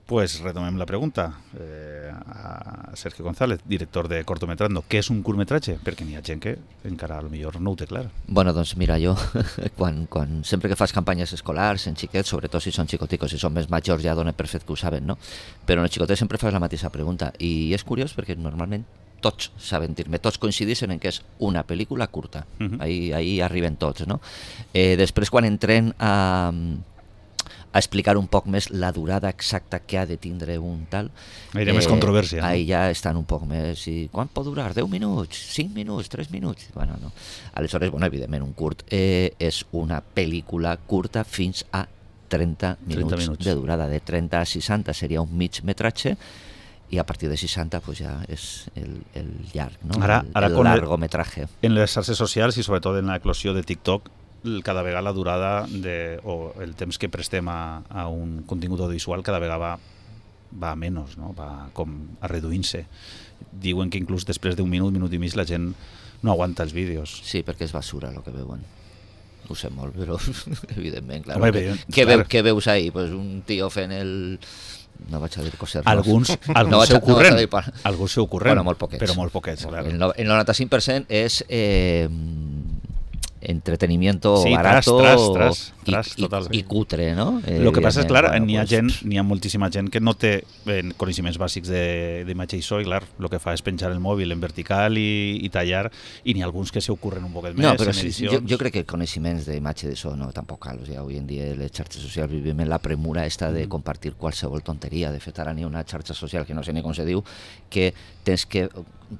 Pues retomem la pregunta a Sergio González, director de Cortometrando. Què és un curtmetratge? Perquè n'hi ha gent que encara potser no ho té clar. Bueno, doncs mira, jo sempre que fas campanyes escolars en xiquets, sobretot si són xicoticos, si són més majors ja donen per fet que ho saben, no? Però en els xicotets sempre fas la mateixa pregunta i és curiós perquè normalment tots saben dir-me, tots coincideixen en que és una pel·lícula curta. Ahí arriben tots, no? Després quan entren a explicar un poc més la durada exacta que ha de tindre un tal. Hi ha més controvèrsia. Ahí ja estan un poc més... I quan pot durar? 10 minuts? 5 minuts? 3 minuts? Bueno, no. Aleshores, bueno, evidentment, un curt és una pel·lícula curta fins a 30 minuts de durada. De 30 a 60 seria un mig metratge i a partir de 60 pues ja és el llarg, no? El largometratge. En les xarxes socials i sobretot en l'eclosió de TikTok, cada vegada la durada o el temps que prestem a un contingut audiovisual cada vegada va a menys, no? Va com a reduint-se. Diuen que inclús després d'un minut i mig la gent no aguanta els vídeos. Sí, perquè és basura el que veuen. Ho sé molt, però evidentment, clar. Home, què veus ahí? Pues un tio fent el... No vaig a dir coses. Alguns se ocorren, bueno, molt poquets. Però molt poquets, clar. El 95% és entretenimiento barato y cutre, ¿no? Lo que passa és, clar, n'hi ha moltíssima gent que no té coneixements bàsics d'imatge i so i, clar, el que fa és penjar el mòbil en vertical i tallar, i n'hi ha alguns que s'ocorren un poquet més en edicions. Jo crec que coneixements d'imatge i de so no, tampoc cal. O sigui, avui en dia les xarxes socials vivim en la premura esta de compartir qualsevol tonteria. De fet, ara n'hi ha una xarxa social que no sé ni com se diu, que tens que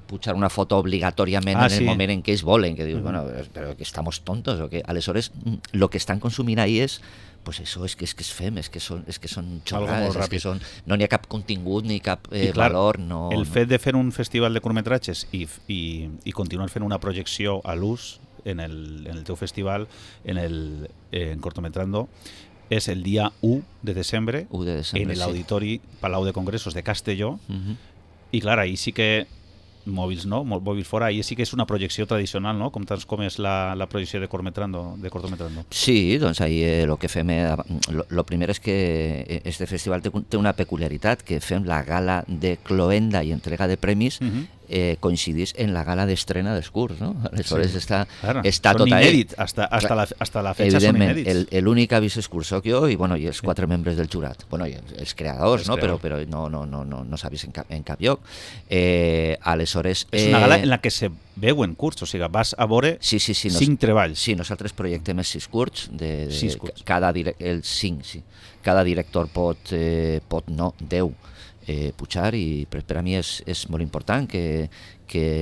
pujar una foto obligatòriament en el moment en què ells volen, que dius, bueno, però que estamos tontos o que aleshores lo que estan consumint ahí és pues eso, és que és fem, és que són xorrades, és que no n'hi ha cap contingut ni cap valor. No, el fet de fer un festival de curtmetratges i continuar fent una projecció a l'ús en el teu festival, en Cortometrando, és el dia 1 de desembre en l'Auditori Palau de Congressos de Castelló, i clar, ahí sí que mòbils no, mòbils fora, i sí que és una projecció tradicional, no? Com és la projecció de Cortometrando. Sí, doncs ahí el que fem, lo primer és que este festival té una peculiaritat, que fem la gala de cloenda i entrega de premis coincidís en la gala d'estrena dels curts, no? Aleshores està tot ahí. Inèdit, hasta la fecha són inèdits. Evidentment, l'únic avís és curs soc jo i els 4 membres del jurat. Bueno, i els creadors, no? Però no s'ha vist en cap lloc. Aleshores... És una gala en la que se veuen curts, o sigui, vas a veure 5 treballs. Sí, nosaltres projectem els 6 curts. Cada director pot 10 pujar, i per a mi és molt important que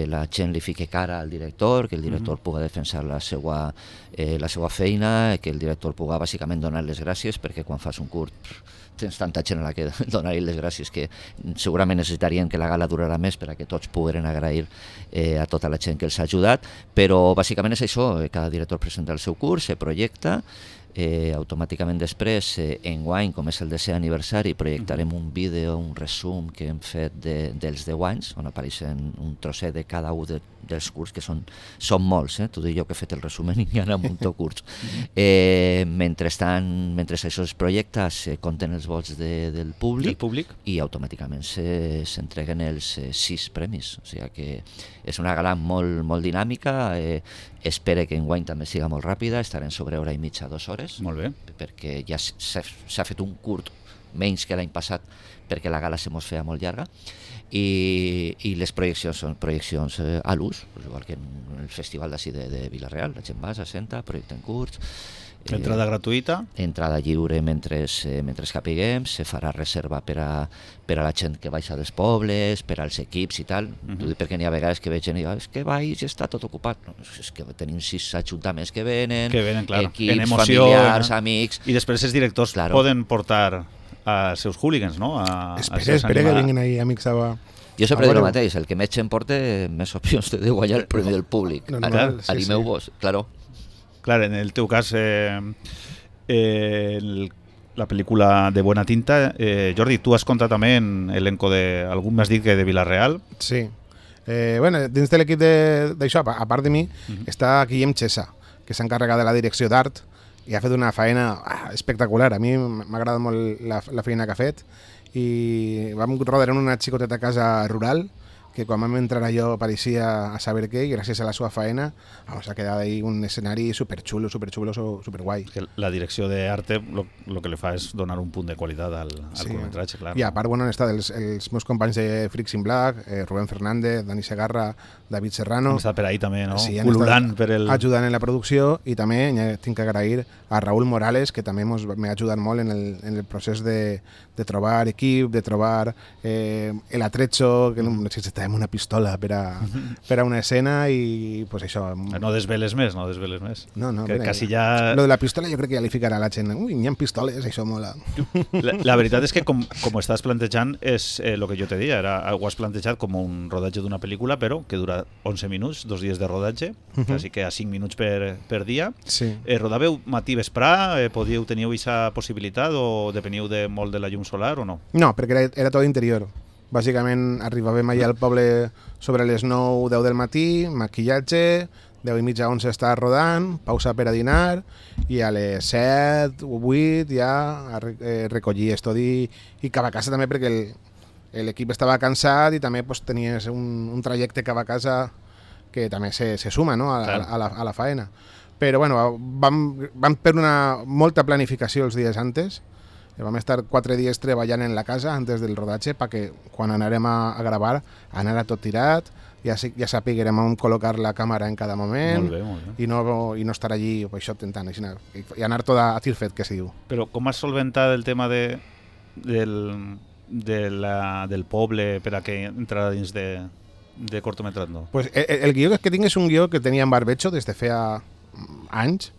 la gent li fique cara al director, que el director pugui defensar la seva feina, que el director pugui bàsicament donar les gràcies, perquè quan fas un curt tens tanta gent a la que donar-li les gràcies que segurament necessitarien que la gala durarà més per a que tots pogueren agrair a tota la gent que els ha ajudat, però bàsicament és això, cada director presenta el seu curs, se projecta, automàticament després, enguany, com és el 10è aniversari, projectarem un vídeo, un resum que hem fet dels 10 anys, on apareixen un trosset de cada un dels curts, que són molts, t'ho dic jo que he fet el resum i n'hi ha un munt de curts. Mentre això es projecta, se compten els vots del públic i automàticament s'entreguen els 6 premis. O sigui que és una gala molt, molt dinàmica, espero que enguany també siga molt ràpida, estarem sobre hora i mitja, 2 hores. Molt bé. Perquè ja s'ha fet un curt menys que l'any passat, perquè la gala se mos feia molt llarga, i les projeccions són projeccions a l'ús, igual que en el festival d'ací de Vila-real, la gent va, s'assenta, projecten curts. Entrada gratuïta? Entrada lliure mentre capiguem, se farà reserva per a la gent que baixa dels pobles, per als equips i tal. T'ho dic perquè n'hi ha vegades que veig gent i diu, és que baix i està tot ocupat. No, és que tenim 6 ajuntaments que venen, equips, familiars, amics... I després els directors poden portar als seus hooligans, no? Espera que vinguin ahí amics a... Jo sempre dic el mateix, el que més gent porta més opcions té de guanyar el premi del públic. Animeu-vos, claro. Clar, en el teu cas, la pel·lícula de Buena Tinta, Jordi, tu has contat també en elenco algú m'has dit que de Vila-real? Sí. Bueno, dins de l'equip d'això, a part de mi, està Guillem Chesa, que s'encarrega de la direcció d'art i ha fet una feina espectacular. A mi m'ha agradat molt la feina que ha fet i vam rodar en una xicoteta casa rural que quan vam entrar allò pareixia a saber què, i gràcies a la seva faena vamos a quedar ahí un escenari superxulo, superguai. Que la direcció d'arte lo que li fa és donar un punt de qualitat al curtmetratge, clar. I a part, bueno, han estat els meus companys de Freaks in Black, Rubén Fernández, Dani Segarra, David Serrano. Han estat per ahí també, no? Sí, Ululant per el... ajudant en la producció, i també tinc que agrair a Raúl Morales, que també m'ha ajudat molt en el procés de trobar equip, de trobar el atrecho, que necessitàvem una pistola per a una escena, i pues això... No desveles més, no desveles més. No, que quasi ja... Lo de la pistola jo crec que ja li ficarà a la gent. Ui, n'hi ha pistoles, això mola. La veritat és que com estàs plantejant és el que jo te deia, ho has plantejat com un rodatge d'una pel·lícula, però que dura 11 minuts, 2 dies de rodatge, així que a 5 minuts per dia. Sí. Rodàveu matí vesprà? Teníeu aquesta possibilitat o depeniu molt de la llum solar o no? No, perquè era tot interior. Bàsicament arribàvem allà al poble sobre les 9 o 10 del matí, maquillatge, 10 i mitja 11 estava rodant, pausa per a dinar, i a les 7 o 8 ja recollir estudi i cap a casa també, perquè l'equip estava cansat i també pues, tenies un trajecte cap a casa que també se suma, no? a la faena. Però bueno, vam per una molta planificació els dies antes. Vam estar 4 dies treballant en la casa antes del rodatge perquè quan anarem a gravar anara tot tirat, ja sapiguem on col·locar la càmera en cada moment. Molt bé. I no estar allí això tentant i anar tot a tir fet, que se diu. Però com has solventat el tema del poble per a que entrara dins de cortometrando? Pues el guió que tinc és un guió que tenia en barbecho des de feia anys,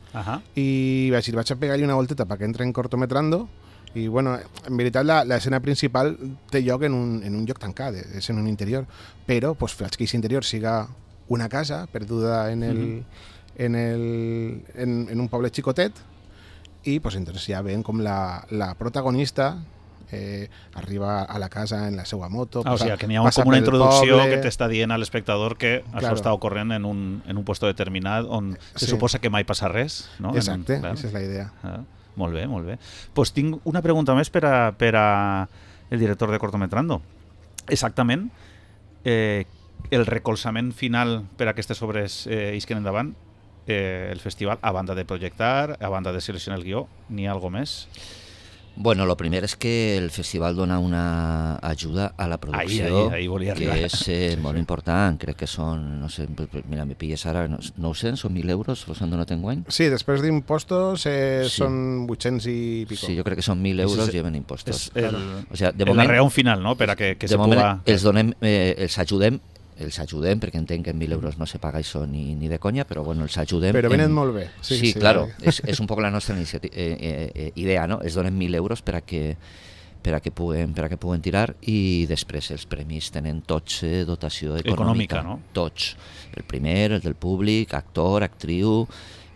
i vaig a pegar-li una volteta perquè entre en cortometrando. I bueno, en veritat l'escena principal té lloc en un lloc tancat, és en un interior, però pues, faig que aquest interior siga una casa perduda en un poble xicotet, i pues, entonces ja ven com la protagonista arriba a la casa en la seva moto. O sigui, que n'hi ha com una introducció que t'està dient a l'espectador que això està ocorrent en un puesto determinat on se suposa que mai passa res, no? Exacte, aquesta és la idea. Molt bé, molt bé. Pues tinc una pregunta més per a el director de Cortometrando. Exactament, el recolzament final per a aquestes obres isquen endavant, el festival, a banda de projectar, a banda de seleccionar el guió, n'hi ha alguna més? Bueno, lo primer es que el festival dona una ayuda a la producció ahí volia que arribar. és molt important. Crec que són, no sé, mira, me pilles ara 900 o 1.000 euros, los han donat enguany. Sí, després d'impostos són 800 i pico. Sí, jo crec que són 1.000 euros lleven impostos. O sea, de moment, l'arreon final, no?, per a que se puga... Els ajudem, perquè entenc que en 1.000 euros no se paga això ni de conya, però bueno, els ajudem. Però venen molt bé. Sí, claro, és un poc la nostra idea, no? Es donen 1.000 euros per a que puguen tirar, i després els premis tenen tots dotació econòmica, no? Tots. El primer, el del públic, actor, actriu,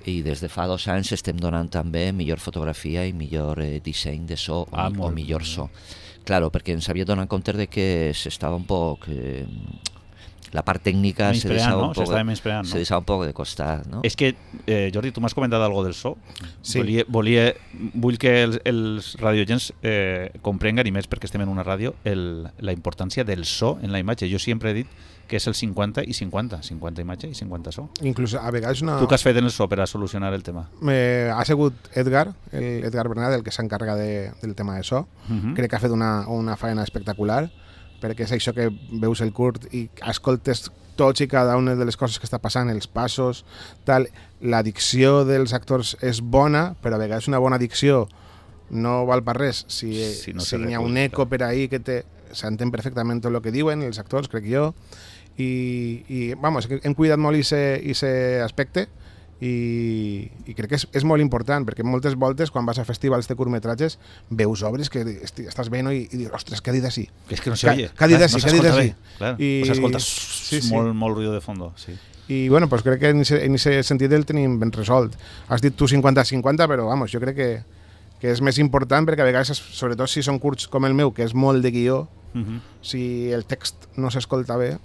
i des de fa 2 anys estem donant també millor fotografia i millor disseny de so o millor so. Claro, perquè ens havia donat compte de que s'estava un poc... la part tècnica se deixava un poc de costat, no? És que, Jordi, tu m'has comentat algo del so. Sí. Vull que els radioagents comprenguen, i més perquè estem en una ràdio, la importància del so en la imatge. Jo sempre he dit que és el 50 i 50, 50 imatge i 50 so. Inclús a vegades Tu què has fet en el so per a solucionar el tema? Ha sigut Edgar Bernat, el que s'encarga del tema de so. Crec que ha fet una faena espectacular, perquè és això que veus el curt i escoltes tots i cada una de les coses que està passant, els passos, tal. La dicció dels actors és bona, però a vegades una bona dicció no val per res si n'hi ha un eco per ahí que s'entén perfectament tot el que diuen els actors, crec jo, i vamos, hem cuidat molt aquest aspecte, i crec que és molt important, perquè moltes voltes quan vas a festivals de curtmetratges veus obres que estàs veient i dius, ostres, què ha dit així? És que no se oye. Què ha dit així? O s'escolta molt ruido de fondo. Sí. I bueno, pues crec que en aquest sentit el tenim ben resolt. Has dit tu 50-50, però vamos, jo crec que és més important, perquè a vegades, sobretot si són curts com el meu, que és molt de guió, si el text no s'escolta bé...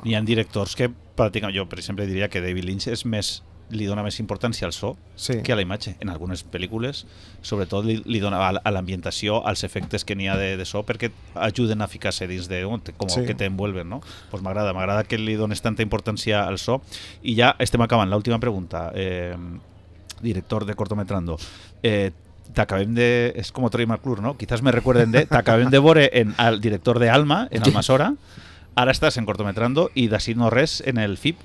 Hi ha directors que pràcticament, jo per exemple diria que David Lynch és més li dona més importància al so que a la imatge. En algunes pel·lícules, sobretot, li dona a l'ambientació, als efectes que n'hi ha de so, perquè ajuden a ficar-se dins de com que t'envuelven, no? Pues m'agrada que li dones tanta importància al so. I ja estem acabant. L'última pregunta, director de Cortometrando. T'acabem de... És com Troy McClure, ¿no? Quizás me recuerden t'acabem de veure al director de Alma, en Almasora. Ara estàs en Cortometrando i d'ací no res en el FIP.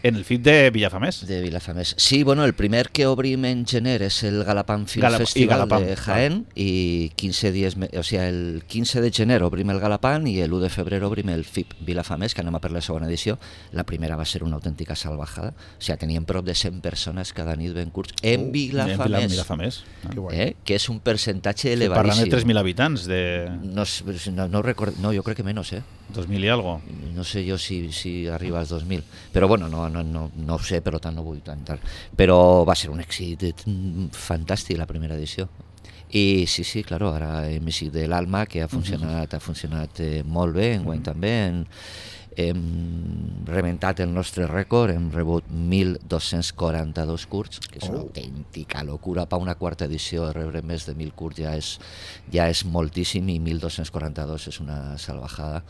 En el FIP de Vilafamés. De Vilafamés. Sí, bueno, el primer que obrim en gener és el Galapam Film Festival de Jaén i 15 dies, o sigui, el 15 de gener obrim el Galapam i l'1 de febrer obrim el FIP Vilafamés, que anem a per la segona edició. La primera va ser una autèntica salvajada. O sigui, teníem prop de 100 persones cada nit ben curts en Vilafamés. Que és un percentatge elevadíssim. Parlant de 3.000 habitants. No recordo, no, jo crec que menys, 2.000 i algo. No sé jo si arriba als 2.000, però bueno, no ho sé, per tant no vull tantar. Però va ser un èxit fantàstic la primera edició. I sí, claro, ara hem eixit de l'Alma, que ha funcionat molt bé, enguany també. Hem rebentat el nostre rècord, hem rebut 1.242 curts, que és una autèntica locura. Per una quarta edició rebre més de 1.000 curts ja és moltíssim, i 1.242 és una salvajada.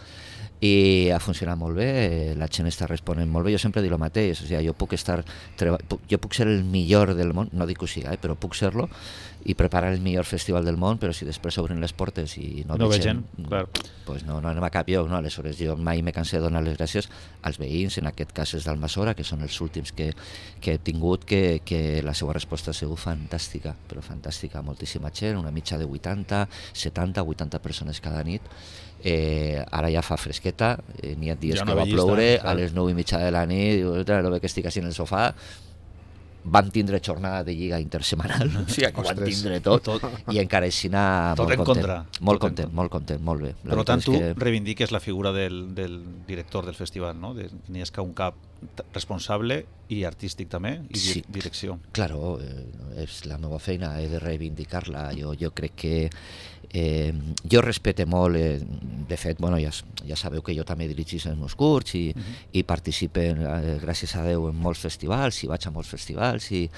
I ha funcionat molt bé, la gent està responent molt bé. Jo sempre dic el mateix, o sigui, jo puc ser el millor del món, no dic que ho siga, però puc ser-lo, i preparar el millor festival del món, però si després obren les portes i no ve gent, pues no anem a cap lloc, no? Aleshores jo mai me cansé de donar les gràcies als veïns, en aquest cas és d'Almasora, que són els últims que he tingut, que la seva resposta ha sigut fantàstica, però fantàstica, moltíssima gent, una mitja de 80, 70, 80 persones cada nit. Ara ja fa fresqueta, n'hi ha dies que va ploure, a les 9:30 de la nit, no ve que estic així en el sofà. Vam tindre jornada de lliga intersemanal, o sigui que ho van tindre tot, i encara així molt content, molt bé. Per tant, tu reivindiques la figura del director del festival, no? N'hi ha un cap responsable i artístic també, i direcció. Claro, és la meva feina, he de reivindicar-la. Jo crec que jo respecte molt, de fet, bueno, ja sabeu que jo també dirigís els meus curts i participe, gràcies a Déu, en molts festivals, i vaig a molts festivals, i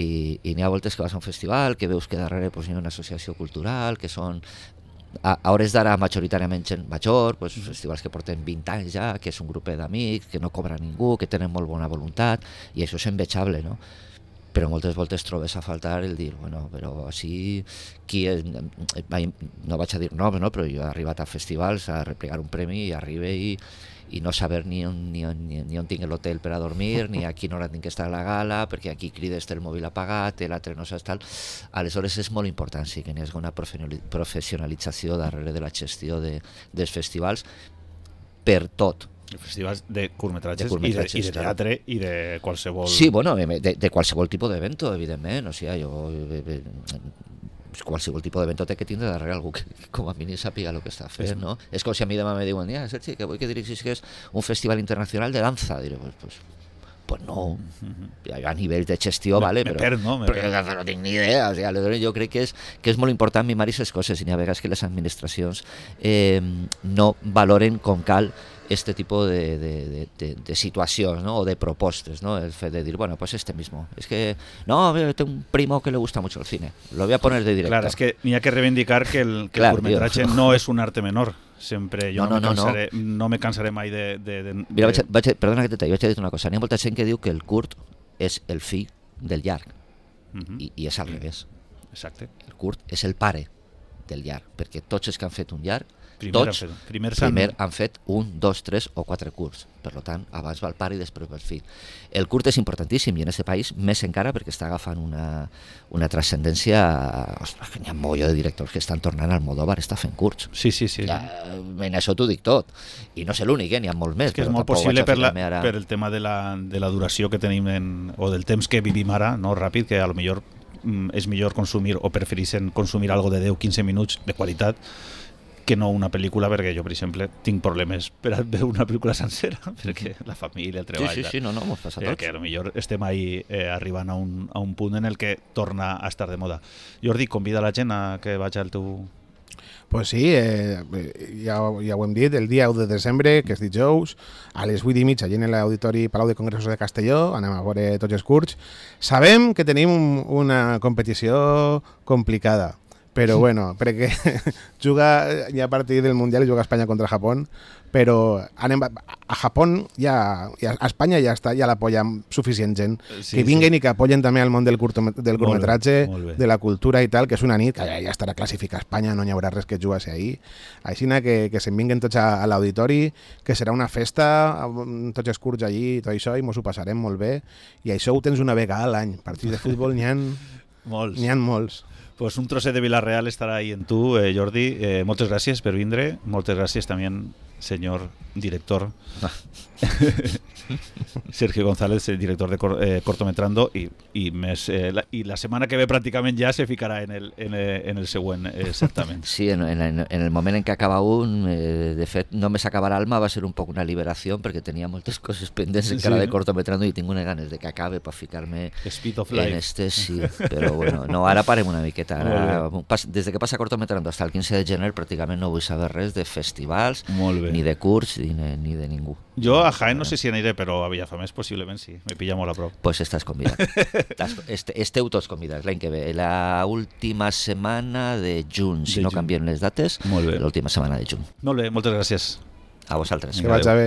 n'hi ha voltes que vas a un festival que veus que darrere hi ha una associació cultural, que són a hores d'ara majoritàriament gent major, festivals que porten 20 anys ja, que és un grup d'amics, que no cobra ningú, que tenen molt bona voluntat, i això és envejable, no? Però moltes voltes trobes a faltar el dir, bueno, però així, no vaig a dir nom, no? Però jo he arribat a festivals a replegar un premi i arribe i no saber ni on tinc l'hotel per a dormir, ni a quina hora tinc que estar a la gala, perquè aquí crides té el mòbil apagat, l'altre no saps tal. Aleshores és molt important, sí, que n'hi hagi una professionalització darrere de la gestió dels festivals per tot. Festivals de curtmetratges i de teatre i de qualsevol... Sí, bueno, de qualsevol tipus d'evento, evidentment. O sigui, qualsevol tipus d'evento té que tindre darrere algú que com a mínim sàpiga el que està fent, no? És com si a mi demà me diuen, Sergi, que vull que dirigis un festival internacional de danza. Diré, pues no, a nivell de gestió, vale, però no tinc ni idea. O sigui, aleshores jo crec que és molt important mimar aquestes coses, i n'hi ha vegades que les administracions no valoren com cal este tipo de situacions, ¿no? O de propostes, ¿no? El fet de dir, bueno, pues este mismo. Es que, no, tengo un primo que le gusta mucho el cine. Lo voy a poner de director. Claro, es que n'hi ha que reivindicar que el curtmetratge no és un arte menor. Sempre, jo no me cansaré mai de... Mira, perdona que vaig a dir una cosa. N'hi ha molta gent que diu que el curt és el fill del llarg. I és al revés. Exacte. El curt és el pare del llarg, perquè tots els que han fet un llarg primer han fet 1, 2, 3 o 4 curts. Per tant, abans va el pare i després va el fill. El curt és importantíssim, i en aquest país més encara, perquè està agafant una transcendència. Ostres, n'hi ha molt de directors que estan tornant al Almodóvar, està fent curts. Sí. En això t'ho dic tot. I no sé l'únic, n'hi ha molts més. És que és molt possible per el tema de la duració que tenim o del temps que vivim ara, no ràpid, que a lo millor és millor consumir o prefereixen consumir algo de 10-15 minuts de qualitat que no una pel·lícula, perquè jo, per exemple, tinc problemes per a veure una pel·lícula sencera, perquè la família, el treball... Sí, no, m'ho passa a tots. Que potser estem ahí arribant a un punt en el que torna a estar de moda. Jordi, convida la gent a que vagi al teu Pues sí, ja ho hem dit, el dia 1 de desembre, que és dijous, a les 8:30 allà en l'Auditori Palau de Congressos de Castelló, anem a veure tots els curts. Sabem que tenim una competició complicada, però bueno, perquè juga ja a partir del Mundial i juga Espanya contra Japó, però anem a Japó ja a Espanya ja està, ja l'apoya suficient gent, que vinguen i que apoyen també el món del curtmetratge, de la cultura i tal, que és una nit que ja estarà classificada a Espanya, no hi haurà res que jugar ahir, així que se'n vinguen tots a l'auditori, que serà una festa amb tots els curts allí i tot això, i mos ho passarem molt bé, i això ho tens una vegada a l'any, partits de futbol n'hi ha molts. Pues un trosset de Villarreal estarà ahí en tu, Jordi. Moltes gràcies per vindre. Moltes gràcies també, senyor director. Sergio González, el director de Cortometrando, i la setmana que ve pràcticament ja se ficarà en el següent certamen. Sí, en el moment en què acaba un, de fet, només acabar Alma va ser un poc una liberació, perquè tenia moltes coses pendents encara de Cortometrando i tinc unes ganes de que acabe per ficar-me en este, sí, però bueno, no, ara parem una miqueta. Ara, des que passa Cortometrando fins al 15 de gener pràcticament no vull saber res de festivals, ni de curts, ni de ningú. Jo a Jaén no sé si aniré, però a Villafamés possiblement sí, me pilla molt a prop. Pues estàs convidat. Esteu tots convidats l'any que ve, la última setmana de juny, si no canvien les dates, l'última setmana de juny. Molt bé, moltes gràcies. A vosaltres. Que vaig a bé.